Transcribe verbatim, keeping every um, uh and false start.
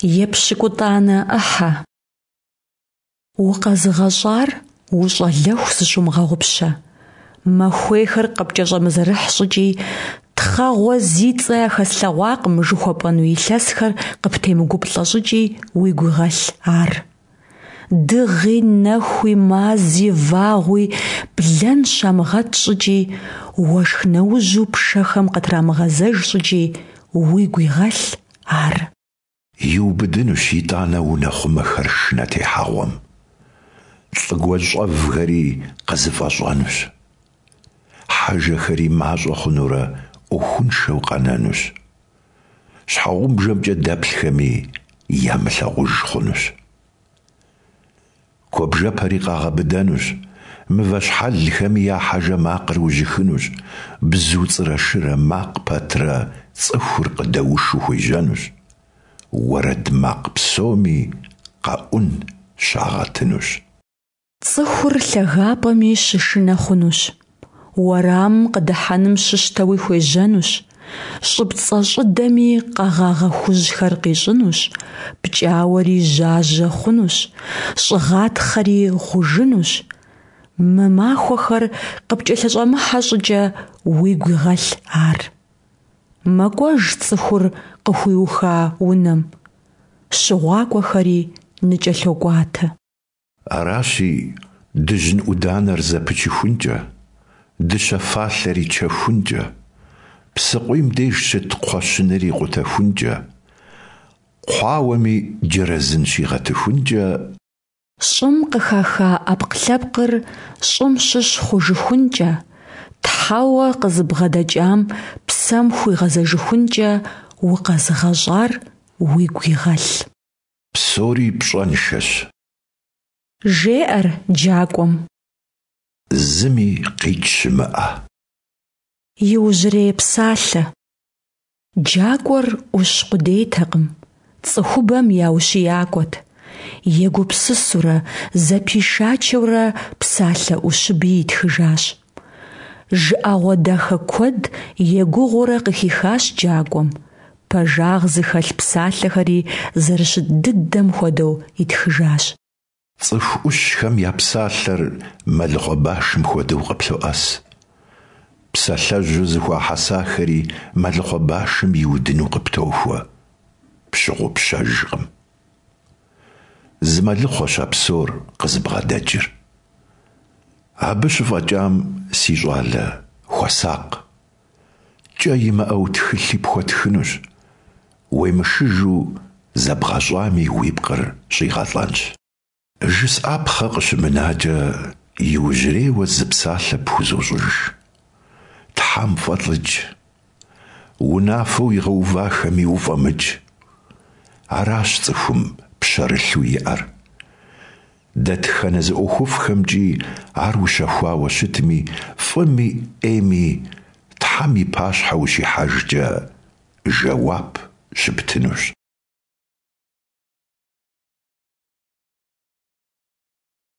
Епщыкӏутӏанэ ӏыхьэ. Укъэзыгъэщӏар ущӏалэху зыщумыгъэгъупщэ, махуейхэр къыпкӏэщӏэмызэрыхь щӏыкӏи, тхъэгъуэ зи цӏэ яхэслъэгъуакъым жыхуэпӏэну илъэсхэр къыптемыгуплӏэ щӏыкӏи уигу игъэлъ ар. Дыгъи, нэхуи, мази, вагъуи блэн щамыгъэт щӏыкӏи, уэшх нэужьу пшэхэм къытрамыгъэзэж щӏыкӏи уигу игъэлъ ар. Иубыдынущ итӀанэ унэхъумэхэр шынэ техьэгъуэм, лӀы гуащӀэвхэри къызэфӀэщӀэнущ. Хьэжэхэри мащӀэ хъунурэ Ӏуэхуншэу къэнэнущ. ЩхьэгъубжэмкӀэ дэплъхэми ямылъагъуж хъунущ. Куэбжэпэри къагъэбыдэнущ, мывэ щхьэлхэми я хьэжэ макъыр ужьыхынущ, бзу цӀырэ-шырэ макъ пэтрэ цӀыхур къыдэушу хуежьэнущ, уэрэд макъ псоми къэӀун щагъэтынущ. Цӏыхур лъагапӀэми щышынэ хъунущ, уэрамым къыдыхьэным щыщтэуи хуежьэнущ, щӀыпцӀэщӀыдэми къэгъагъэ хужьхэр къищӀынущ, пкӀауэри жьажьэ хъунущ, щӀыгъатхъэри гъужынущ. Мы махуэхэр къыпкӀэлъыщӀэмыхьэ щӀыкӀэ уигу игъэлъ ар. МэкӀуэж цӀыхур къыхуиуха унэм, щыгъуакӀуэхэри ныкӀэлъокӀуатэ. Аращи, дыжьын Ӏуданэр зэпычыхункӀэ, дыщэ фалъэри чэхункӀэ, псыкъуийм деж щыт кхъуэщыныр икъутэхункӀэ, кхъуауэми джэрэзын щигъэтыхункӀэ. ЩӀым къыхаха Ӏэпкълъэпкъыр щӀым щыщ хъужыхункӀэ, Тхьэуэ къызыбгъэдэкӀам псэм хуигъэзэжыхункӀэ укъэзыгъэщӀар уигу игъэлъ. Псори пщӀэншэщ. ЖеӀэр джакӀуэм. Зыми къикӀ щымыӀэ. Иужьрей псалъэ. ДжакӀуэр Ӏущ къудейтэкъым, цӀыхубэм я ущиякӀуэт. Егупсысурэ, зэпишачэурэ псалъэ Ӏущыби итхыжащ. ЖыӀэгъуэ дахэ куэд егугъуурэ къыхихащ джакӀуэм, пэжагъ зыхэлъ псалъэхэри зэрыщыт дыдэм хуэдэу итхыжащ. ЦӀыху Ӏущхэм я псалъэр мэлыхъуэ башым хуэдэу къыплъоӀэс. Псалъэжьу зэхуахьэсахэри мэлыхъуэ башым иудыну къыптохуэ, пщыгъупщэжкъым. Зы мэлыхъуэщ а псор къызыбгъэдэкӀыр. Абы щыфӀэкӀам, си щӀалэ, хуэсакъ. КӀэ имыӀэу тхылъи пхуэтхынущ, уемышыжу зэбгъэщӀами уи пкъыр щӀигъэлӀэнщ. ЖысӀапхъэ къыщымынакӀэ, иужьрейуэ зы псалъэ пхузощӀыж: Тхьэм фӀэлӀыкӀ, унафэу игъэувахэми уфӀэмыкӀ. Аращ цӀыхум пщэрылъу иӀэр. Дэтхэнэ зы ӀуэхуфӀхэмкӀи ар ущэхуауэ щытми, фӀыми Ӏейми Тхьэм и пащхьэ ущихьэжкӀэ жэуап щыптынущ.